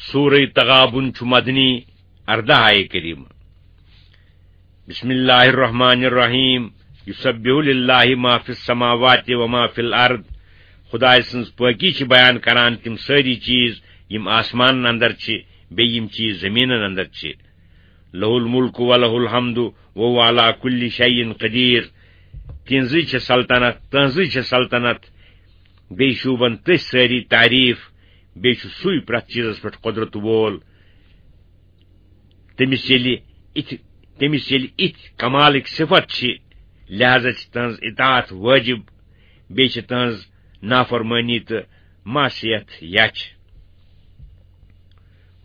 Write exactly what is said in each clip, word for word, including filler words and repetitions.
سورہ تغابن چھُ مدنی، ارداہ آیہ کریمہ۔ بسم اللہ الرحمن الرحیم۔ یسبح للہ ما فی السماوات و ما فی الارض۔ خدائے سٕنٛز پٲکی چھِ بیان کران تِم سٲری چیٖز یِم آسمانن اندر چھِ، بیٚیہِ یِم چیٖز زٔمیٖنن اندر چھِ۔ لہ الملک و لہ الحمد و هو علی کل شیء قدیر۔ تِہنٛزٕے چھِ سلطنت، تٕہنٛزٕے چھِ سلطنت، بیٚیہِ شوٗبن تٔسۍ سٲری تعریٖف، بیٚیہِ چھُ سُے پرٛٮ۪تھ چیٖزس پٮ۪ٹھ قۄدرت وول۔ تٔمِس ییٚلہِ اِتھۍ، تٔمِس ییٚلہِ اِتھۍ کمالٕکۍ صفت چھِ، لہذا چھِ تٕہٕنٛز اطاعت وٲجِب، بیٚیہِ چھِ تٕہٕنٛز نافرمٲنی تہٕ معصیت یَچھ۔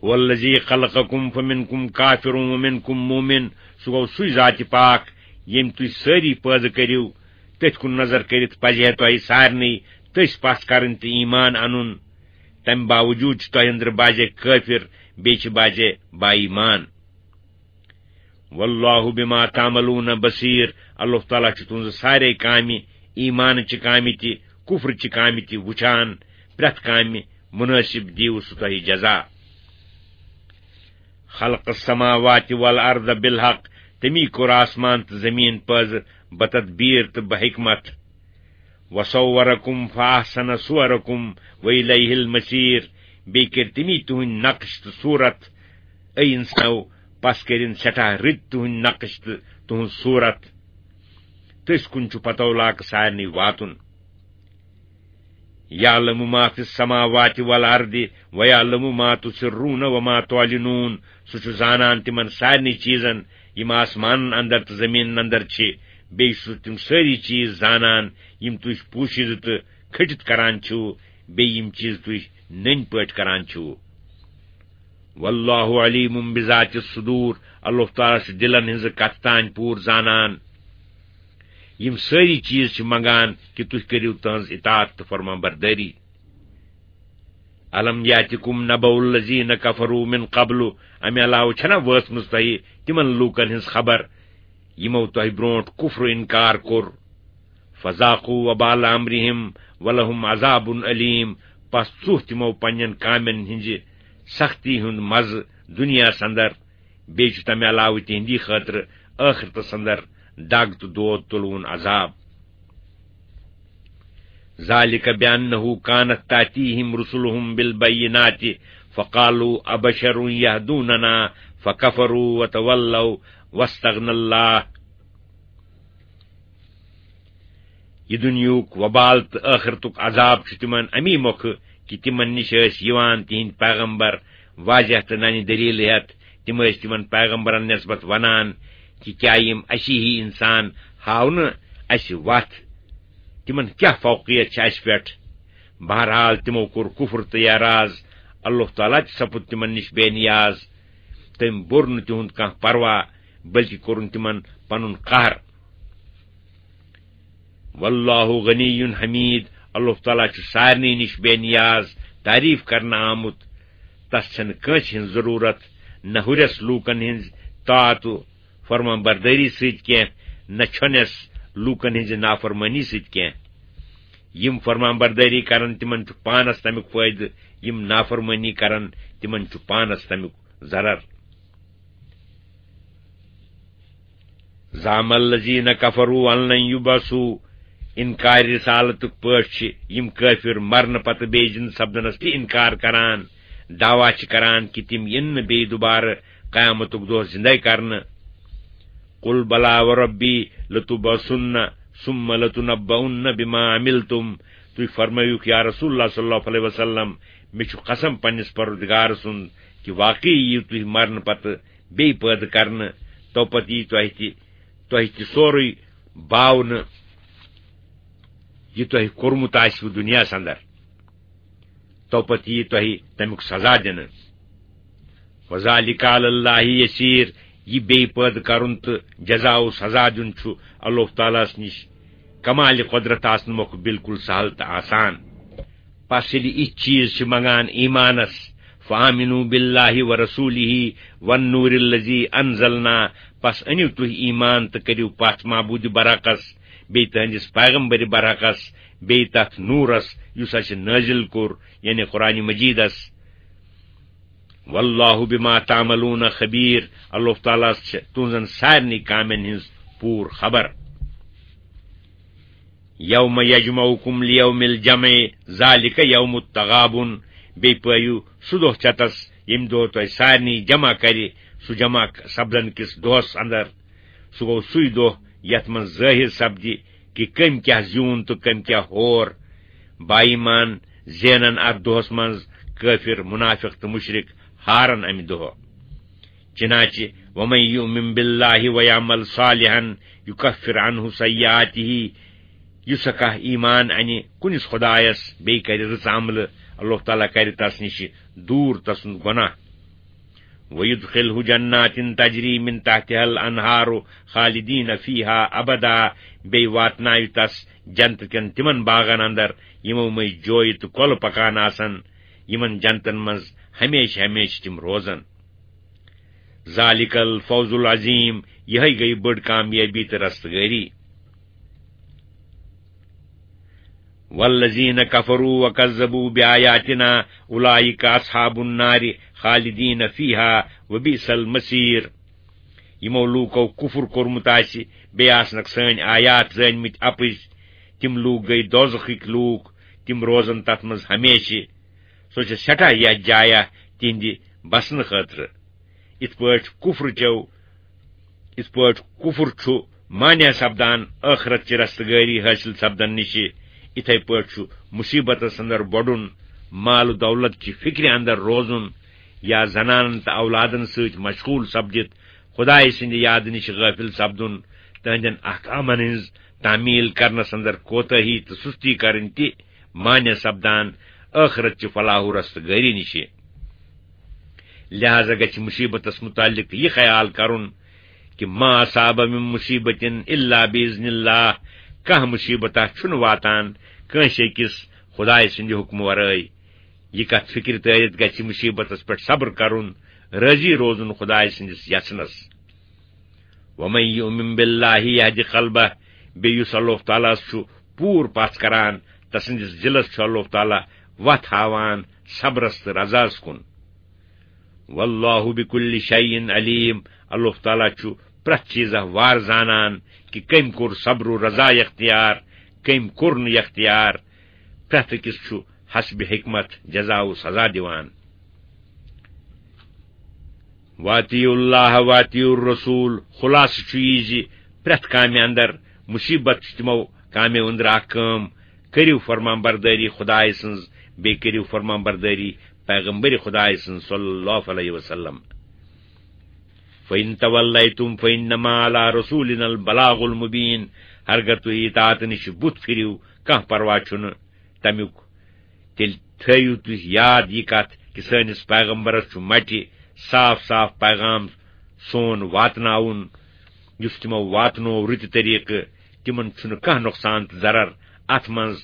هو الذی خلقکم فمنکم کافر ومنکم مؤمن۔ سُہ گوٚو سُے ذاتِ پاک، ییٚمۍ تُہۍ سٲری پٲدٕ کٔرِو۔ تٔتھۍ کُن نظر کٔرِتھ پزِ ہے تۄہہِ سارنٕے تٔسۍ پژھ کرٕنۍ تہٕ ایمان انُن۔ تمہِ باوجود چھِ تۄہہِ أنٛدرٕ بعضے کٲفِر، بیٚیہِ چھِ بعضے با ایمان۔ واللہ بما تعملون بصیر۔ اللہ تعالیٰ چھُ تُہنٛزٕ سارے کامہِ، ایمانٕچہِ کامہِ تہِ، کفرٕچہِ کامہِ تہِ وُچھان۔ پرٛٮ۪تھ کامہِ منٲسِب دیٖوٕ سُہ تۄہہِ جزا۔ خلق السماوات والارض بالحق۔ تٔمی کوٚر آسمان تہٕ زمیٖن پٲدٕ بتدبیر تہٕ بحکمت۔ وصورکم فاحسن صورکم والیہ المصیر۔ بیٚیہِ کٔرۍ تٔمی تُہٕنٛدۍ نقش تہٕ صورت۔ اے انسانو، پس کٔرِن سٮ۪ٹھاہ رٕتۍ تُہٕنٛدۍ نقش تہٕ تُہٕنٛز صورت۔ تٔسۍ کُن چھُ پتو لاکہٕ سارنٕے واتُن۔ یعلم ما فی السماوات والارض ویعلم ما تسرون وما تعلنون۔ سُہ چھُ زانان تِمن سارنٕے چیٖزن یِم آسمانن اندر تہٕ زمیٖنن اندر چھِ۔ بیٚیہِ چھُ سُہ تِم سٲری چیٖز زانان یِم تُہۍ پوٗشِتھ تہٕ کھٔٹِتھ کران چھِو، بیٚیہِ یِم چیٖز تُہۍ نٔنۍ پٲٹھۍ کران چھِو۔ واللہ علیم بذات الصدور۔ اللہ تعالیٰ چھُ دِلن ہٕنٛزٕ کتھٕ تام پوٗرٕ زانان۔ یِم سٲری چیٖز چھِ منگان کہِ تُہۍ کٔرِو تٕہٕنٛز اطاعت تہٕ فرمان بردٲری۔ الم یاتکم نبأ الذین کفروا من قبل۔ امہِ علاوٕ چھَنا وٲژمٕژ تۄہہِ تِمن لوٗکن ہٕنٛز خبر، یِمو تۄہہِ برونٹھ کفر و انکار کوٚر؟ فذاقوا وبال امرہم ولہم عذاب علیم۔ پس ژوٚہ تِمو پننٮ۪ن کامٮ۪ن ہٕنٛزِ سختی ہُنٛد مزٕ دُنیاہس اندر۔ بیٚیہِ چھُ تمہِ علاوٕ تِہنٛدی خٲطرٕ ٲخرتس اندر دگ تہٕ دود تُلوُن عذاب۔ ذلک بأنہ کانت تأتیہم رسلہم بالبینات فقالوا ابشر یہدوننا فکفروا وتولوا واستغنى اللہ۔ یہِ دُنیاہُک وبال تہٕ ٲخرتُک عذاب چھُ تِمن اَمی مۄکھٕ کہِ تِمن نِش ٲسۍ یِوان تِہنٛدۍ پیغمبر واضح تہٕ ننہِ دٔلیٖلہٕ ہٮ۪تھ۔ تِم ٲسۍ تِمن پیغمبرن نسبت وَنان کہِ کیٛاہ یِم اَسی ہی اِنسان ہاونہٕ اَسہِ وَتھ؟ تِمن کیٛاہ فوقیت چھِ اَسہِ پٮ۪ٹھ؟ بہرحال، تِمو کوٚر کفر تہٕ اعراض۔ اللہ تعالیٰ تہِ سپُد تِمن نِش بے نیاز۔ تٔمۍ بوٚر نہٕ تِہُنٛد کانٛہہ پرواہ، بلکہِ کوٚرُن تِمن پنُن قہر۔ واللہ غنی حمید۔ اللہ تعالیٰ چھُ سارنٕے نِش بے نیاز، تعریف کرنہٕ آمُت۔ تس چھنہٕ کٲنٛسہِ ہٕنٛز ضروٗرت، نہ ہُرٮ۪س لوٗکن ہٕنٛز طاعت و فرمان بردٲری سۭتۍ کینٛہہ، نہ چھۄنٮ۪س لوٗکن ہٕنٛزِ نافرمٲنی سۭتۍ کینٛہہ۔ یِم فرمان بردٲری کرن، تِمن چھُ پانس تمیُک فٲیدٕ، یِم نافرمٲنی کرن، تِمن چھُ پانس تمیُک ضرر۔ زعم الذین کفروا ان لن یبعثوا۔ انکار رسالتُک پٲٹھۍ چھِ یِم کٲفِر مرنہٕ پتہٕ بیٚیہِ زِندٕ سپدنس تہِ انکار کران، دعویٰ چھِ کران کہِ تِم یِن نہٕ بیٚیہِ دُبارٕ قیامتُک دۄہ زِندَے کرنہٕ۔ قل بلی وربی لتبعثن ثم لتنبؤن بما عملتم۔ تُہۍ فرمٲیِو یا رسول اللہ صلی اللہ علیہ وسلم، مےٚ چھُ قسم پننِس پروردگار سُنٛد کہِ واقعی یِیِو تُہۍ مرنہٕ پتہٕ بیٚیہِ پٲدٕ کرنہٕ، تو پتہٕ یی تۄہہِ تہِ، تۄہہِ تہِ سورُے باونہٕ، یہِ تۄہہِ کوٚرمُت آسِوٕ دُنیاہَس اندر۔ تو پتہٕ یی تۄہہِ تمیُک سزا دِنہٕ۔ وذالک علی اللہ یسیر۔ یہِ بیٚیہِ پٲدٕ کرُن تہٕ جزا و سزا دیُن چھُ اللہ تعالیٰ ہَس نِش کمالِ قۄدرت آسنہٕ مۄکھٕ بالکل سہل تہٕ آسان۔ پس ییٚلہِ یِتھۍ چیٖز چھِ منگان ایمانس، فآمنوا باللہ ورسولہ والنور الذی انزلنا، پس أنِو تُہۍ ایمان تہٕ کٔرِو پتھ معبوٗدِ برحقس، بیٚیہِ تٕہنٛدِس پیغمبرِ برحقس، بیٚیہِ تتھ نوٗرس یُس اسہِ نٲزِل کوٚر، یعنی قرآن مجیدس۔ واللہ بما تعملون خبیر، اللہ تعالیٰ ہس چھِ تُہنٛزن سارنٕے کامٮ۪ن ہٕنٛز پوٗرٕ خبر۔ یوم یجمعکم لیوم الجمع، ذالک یوم التغابن، بیٚیہِ پٲیِو سُہ دۄہ چتس، ییٚمہِ دۄہ تۄہہِ سارنٕے جمع کرِ، سُہ جمع سپدن کِس دۄہس اندر۔ سُہ گوٚو سُے دۄہ یتھ منٛز ظٲہر سپدِ کہِ کٔمۍ کیاہ زیوٗن تہٕ کٔمۍ کیاہ ہور۔ با ایمان زینن اتھ دۄہس منٛز کٲفر، منافق تہٕ مشرک ہارن امہِ دۄہ۔ چنانچہ ومن یؤمن باللہ ویعمل صالحا یکفر عنہ سیئاته، یُس کانٛہہ ایمان انہِ کُنِس خدایس، بیٚیہِ کرِ رٕژ عملہٕ، اللہ تعالیٰ کرِ تس نِش دوٗر تسُنٛد گۄناہ۔ ویدخلہ جنات تجری من تحتها الانہار خالدین فیہا ابدا، بیٚیہِ واتناوِ تس جنت کٮ۪ن تِمن باغن اندر، یِمو مٔنٛزۍ جویہِ تہٕ کۄلہٕ پکان آسن، یِمن جنتن منٛز ہمیشہِ ہمیشہِ تِم روزن۔ ذالک الفوز العظیم، یِہے گٔیہِ بٔڑ کامیٲبی تہٕ رستگٲری۔ والذین کفروا وکذبوا بآیاتنا اولئک اصحاب النار خالدین فیہا وبئس المصیر۔ یِمو لوٗکو کُفر کوٚرمُت آسہِ، بیٚیہِ آسنکھ سٲنۍ آیات زٲنۍمٕتۍ اپٕز، تِم لوٗکھ گٔے دوزخٕکۍ لوٗکھ، تِم روزن تتھ منٛز ہمیشہِ۔ سۄ چھےٚ سٮ۪ٹھاہ یتھ جایہ تِہنٛدِ بسنہٕ خٲطرٕ۔ یِتھ پٲٹھۍ کُفر چیو، یِتھ پٲٹھۍ کُفر چھُ مانع سپدان ٲخرت چہِ رستگٲری حٲصِل سپدن نِشہِ، یِتھے پٲٹھۍ چھُ مُصیبتس اندر بۄڈُن، مال و دولت چہِ فکرِ اندر روزُن، یا زنانن تہٕ اولادن سۭتۍ مشغول سپدِتھ خدایہِ سٕنٛدِ یادٕ نِشہِ غٲفِل سپدُن، تہنٛدٮ۪ن احکامن ہٕنٛز تعمیل کرنس اندر کوتاہی تہٕ سستی کرٕنۍ تہِ مانع سپدان ٲخرت چہِ فلاح و رستگٲری نِشہِ۔ لہذا گژھِ مصیبتس متعلق یہِ خیال کرُن کہ ما اصاب من مصیبت الا باذن اللہ، کانٛہہ مصیبتہ چھُنہٕ واتان کٲنٛسہِ أکِس خدایہِ سٕنٛدِ حُکمہٕ ورٲے۔ یہِ کتھ فکرِ تٲرِتھ گژھِ مصیبتس پٮ۪ٹھ صبر کرُن، رٲضی روزُن خدایہِ سٕنٛدِس یژھنس۔ ومن یؤمن باللہ یہد قلبہ، بیٚیہِ یُس اللہ تعالیٰ ہس چھُ پوٗرٕ پژھ کران، تسٕنٛدِس دِلس چھُ اللہ تعالیٰ وتھ ہاوان صبرس تہٕ رضاہس کُن۔ واللہ بکل شیء علیم، اللہ تعالیٰ چھُ پرٛٮ۪تھ چیٖزہ وار زانان کہ کٔمۍ کوٚر صبر و رضا اختیار، کٔمۍ کوٚر نہٕ اختیار۔ پرٛٮ۪تھ أکِس چھُ حسب حکمت جزا و سزا دِوان۔ واطیعوا اللہ واطیعوا الرسول، خلاصہٕ چھُ یہِ زِ پرٛٮ۪تھ کامہِ اندر مصیبت چھِ تِمو کامیو أنٛدرٕ اکھ کٲم، کٔرِو فرمان بردٲری خدایہِ سٕنٛز، بیٚیہِ کٔرِو فرمان بردٲری پیغمبر خدایہِ سٕنٛز صلی اللہ علیہ وسلم۔ فَإِن تَوَلَّيْتُمْ فَإِنَّمَا عَلَى رَسُولِنَا الْبَلَاغُ الْمُبِينُ، ہرگاہ تُہۍ اطاعت نِش بُتھ پھِرِو، کانٛہہ پرواہ چھُنہٕ تَمیُک۔ تیٚلہِ تھٲیِو تُہۍ یاد یہِ کتھ کہِ سٲنِس پیغمبرس چھُ مٹہِ صاف صاف پیغام سون واتناوُن، یُس تِمو واتنوو رٕتہِ طریقہٕ۔ تِمن چھُنہٕ کانٛہہ نۄقصان تہٕ ضرر اتھ منٛز،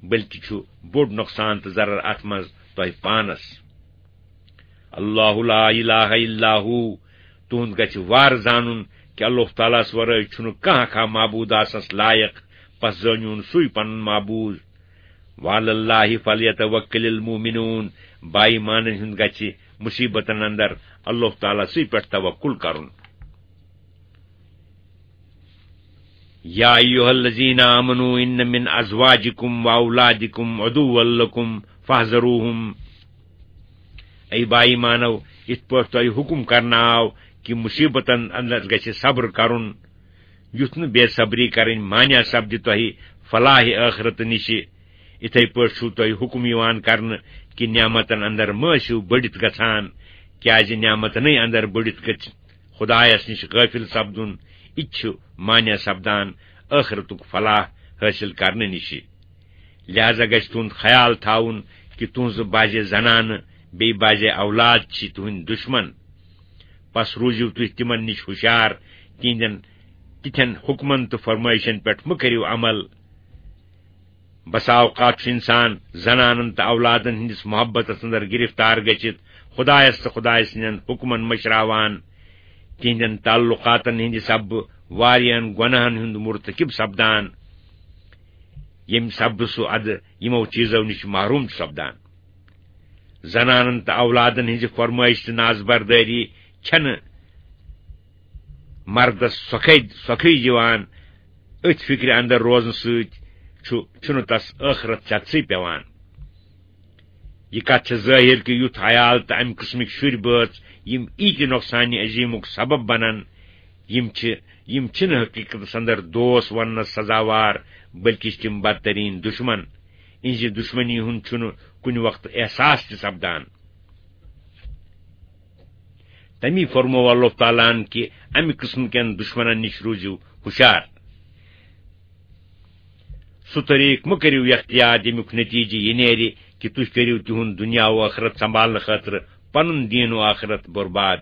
بلکہِ چھُ بوٚڑ نۄقصان تہٕ ضرر اتھ منٛز تۄہہِ پانس۔ اللہ لا الہ الا ہو، تُہُنٛد گژھِ وار زانُن کہِ اللہ تعالیٰ ہس ورٲے چھُنہٕ کانٛہہ کانٛہہ معبوٗد آسنس لایق، پس زٲنِوُن سُے پنُن معبوٗد۔ وعلی اللہ فلیتوکل المؤمنون، با ایمانن ہُنٛد گژھِ مصیبتن اندر اللہ تعالیٰ سٕے پٮ۪ٹھ توکل کرُن۔ یا ایھا الذین آمنوا ان من ازواجکم و اولادکم عدوا لکم فاحذروہم۔ اے با ایمانو، یِتھ پٲٹھۍ تۄہہِ حُکم کرنہٕ آو کہِ مصیبتن اندر گژھِ صبر کرُن، یُتھ نہٕ بے صبری کرٕنۍ مانع سپدِ تۄہہِ فلاح ٲخرت نِشہِ، اِتھے پٲٹھۍ چھُو تۄہہِ حُکم یِوان کرنہٕ کہِ نعمتن اندر مہ ٲسِو بٔڑِتھ گژھان، کیازِ نعمتنٕے اندر بٔڑِتھ گژھِ خدایس نِش غٲفِل سپدُن، یہِ تہِ چھُ مانع سپدان ٲخرتُک فلاح حٲصِل کرنہٕ نِشہِ۔ لہذا گژھِ تُہُنٛد خیال تھاوُن کہِ تُہٕنٛزٕ بعضے زنانہٕ بیٚیہِ بعضے اولاد چھِ تُہٕنٛدۍ دُشمن۔ پس روٗزِو تُہۍ تِمن نِش ہُشیار، تِہنٛدٮ۪ن تِتھٮ۪ن حُکمن تہٕ فرمٲیشن پٮ۪ٹھ مہ کٔرِو عمل۔ بسا اوقات چھُ انسان زنانن تہٕ اولادن ہٕنٛدِس محبتس اندر گرفتار گٔژھِتھ خدایس تہٕ خدایہِ سٕنٛدٮ۪ن حُکمن مٔشراوان۔ تِہنٛدٮ۪ن تعلقاتن ہٕنٛدِ سببہٕ واریاہن گۄناہن ہُنٛد مرتکب سپدان، ییٚمہِ سببہٕ سُہ ادٕ یِمو چیٖزو نِش محروم چھُ سپدان۔ زنانن تہٕ اولادن ہٕنٛزِ فرمٲیش تہٕ نازبردٲری چھنہٕ مردس سۄکھے، سۄکھٕے یِوان۔ أتھۍ فکرِ اندر روزنہٕ سۭتۍ چھُ، چھُنہٕ تس ٲخرت ژٮ۪تسٕے پٮ۪وان۔ یہِ کتھ چھےٚ ظٲہر کہِ یُتھ عیال تہٕ امہِ قٕسمٕکۍ شُرۍ بٲژ، یِم ایٖتہِ نۄقصانہِ عظیمُک سبب بنن، یِم چھِ، یِم چھِنہٕ حقیقتس اندر دوس وننس سزاوار، بلکہِ چھِ تِم بدترین دشمن۔ اِہنزِ دشمنی ہُنٛد چھُنہٕ کُنہِ وقتہٕ احساس تہِ سپدان۔ تمی فرموو اللہ تعالیٰ ہن کہِ امہِ قٕسمہٕ کٮ۪ن دشمنن نِش روٗزِو ہُشار۔ سُہ طریٖقہٕ مہٕ کٔرِو اختیار، ییٚمیُک نتیجہٕ یہِ نیرِ کہِ تُہۍ کٔرِو تِہُنٛد دُنیا و ٲخرت سنبھالنہٕ خٲطرٕ پنُن دیٖن و ٲخرت برباد۔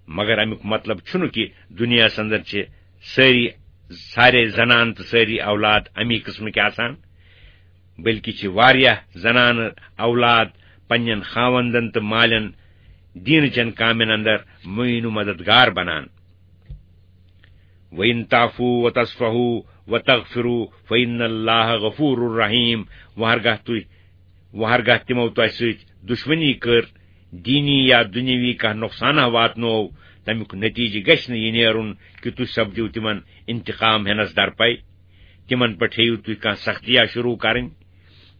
مگر امیُک مطلب چھُنہٕ کہِ دُنیاہس اندر چھِ سٲری، سارے زنان تہٕ سٲری اولاد امی قٕسمٕکۍ آسان، بلکہِ چھِ واریاہ زنانہٕ اولاد پننٮ۪ن خاوندن تہٕ مالٮ۪ن دیٖنہٕ چٮ۪ن کامٮ۪ن اندر معین و مددگار بنان۔ وَإِن تَعْفُوا وَتَصْفَحُوا وَتَغْفِرُوا فَإِنَّ اللَّهَ غَفُورٌ رَحِيمٌ۔ وۄنۍ ہرگاہ تُہۍ، وۄنۍ ہرگاہ تِمو تۄہہِ سۭتۍ دُشمنی کٔر، دیٖنی یا دُنیاوی کانٛہہ نۄقصانہ واتنوو، تَمیُک نتیجہٕ گژھِ نہٕ یہِ نیرُن کہِ تُہۍ سپدِو تِمن انتقام ہٮ۪نس درپے۔ تِمن پٮ۪ٹھ ہیٚیِو تُہۍ کانٛہہ سختیا شروع کرٕنۍ،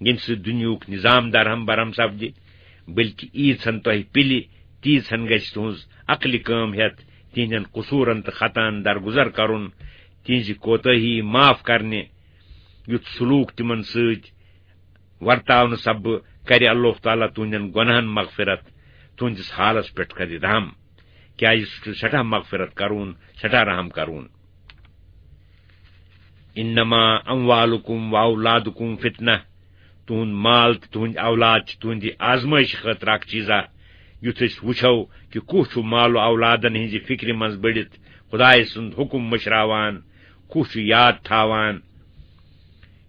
ییٚمہِ سۭتۍ دُنیاہُک نظام درہم برہم سپدِ، بلکہِ ییٖژ ہن تۄہہِ پِلہِ، تیٖژ ہن گژھِ تُہنٛز عقلہِ کٲم ہٮ۪تھ تِہنٛدٮ۪ن قصوٗرن تہٕ خطاہن درگُزر کرُن، تِہنٛزِ کوتٲہی معاف کرنہِ۔ یُتھ سلوک تِمن سۭتۍ ورتاونہٕ سببہٕ کرِ اللہ تعالیٰ تُہنٛدٮ۪ن گۄناہن مغفرت، تُہنٛدِس حالس پٮ۪ٹھ کرِ رحم، کیازِ سُہ چھُ سٮ۪ٹھاہ مغفرت کرون، سٮ۪ٹھاہ رحم کرون۔ انما اموالکم و اولادکم فتنہ، تُہُنٛد مال تہٕ تُہٕنٛدۍ اولاد چھِ تُہٕنٛدِ آزمٲیشہِ خٲطرٕ اکھ چیٖزا۔ یُتھ أسۍ وٕچھو کہِ کُس چھُ مال و اولادن ہٕنٛزِ فِکرِ منٛز بٔڑِتھ خۄدایہِ سُنٛد حُکُم مٔشراوان، کُس چھُ یاد تھاوان۔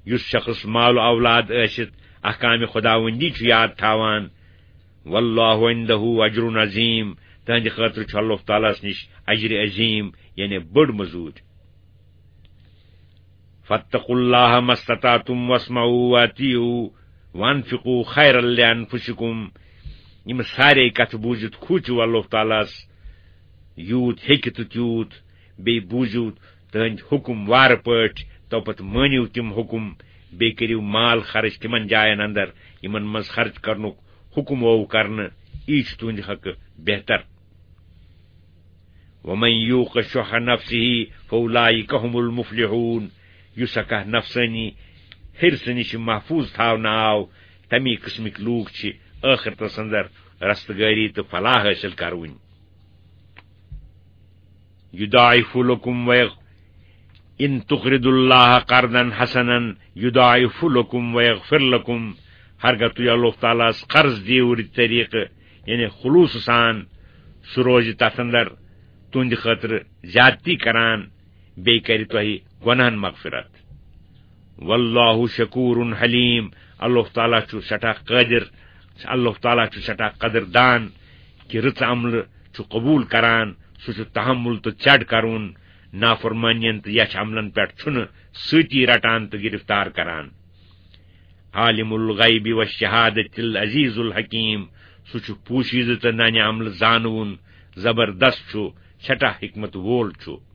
یُس شخص مال و اولاد ٲسِتھ احکامِ خۄداوندی چھُ یاد تھاوان، واللہ عندہ اجر عظیم، تہنٛدِ خٲطرٕ چھُ اللہ تعالیٰ ہس نِش اجر عظیم، یعنی بٔڑ مٔزوٗرۍ۔ فاتقوا اللہ ما استطعتم واسمعوا واطیعوا وانفقوا خیرا لانفسکم۔ یِم سارے کتھٕ بوٗزِتھ کھوٗژِو اللہ تعالیٰ ہس یوٗت ہیٚکہِ تہٕ تیوٗت، بیٚیہِ بوٗزِو تٕہٕنٛدۍ حُکم وارٕ پٲٹھۍ، تو پتہٕ مٲنِو تِم حُکم، بیٚیہِ کٔرِو مال خرٕچ تِمن جاین اندر یِمن منٛز خرٕچ کرنُک حُکم آو کرنہٕ، یی چھُ تُہٕنٛدِ حقہٕ بہتر۔ ومن یوق شح نفسہ فاولئک هم المفلحون۔ یُس ہا کانٛہہ نفسٲنی حرصہٕ نِش محفوظ تھاونہٕ آو، تمی قٕسمٕکۍ لوٗکھ چھِ ٲخرتس اندر رستگٲری تہٕ فلاح حٲصِل کرٕوٕنۍ۔ یضاعف لکم ویغ ان تقرضوا اللہ قرضا حسنا یضاعف لکم ویغفر لکم۔ ہرگاہ تُہۍ اللہ تعالیٰ ہس قرض دِیِو رٕتۍ طریٖقہٕ، یعنی خلوص سان، سُہ روزِ تتھ اندر تُہنٛدِ خٲطرٕ زیادتی کران، بیٚیہِ کرِ تۄہہِ گۄناہن مغفرت۔ واللہ شکور حلیم، اللہ تعالیٰ چھُ سٮ۪ٹھاہ قٲدر، اللہ تعالیٰ چھُ سٮ۪ٹھاہ قدردان کہِ رٕژ عملہٕ چھُ قبول کران، سُہ چھُ تحمل تہٕ ژٮ۪ڈ کرُن، نافرمٲنین تہٕ یچھ عملن پٮ۪ٹھ چھُنہٕ سۭتی رٹان تہٕ گرفتار کران۔ عالم الغیب والشہادۃ العزیز الحکیم، سُہ چھُ پوشیدٕ تہٕ ننہِ عملہٕ زانوُن، زبردست چھُ، سٮ۪ٹھاہ حکمت وول چھُ۔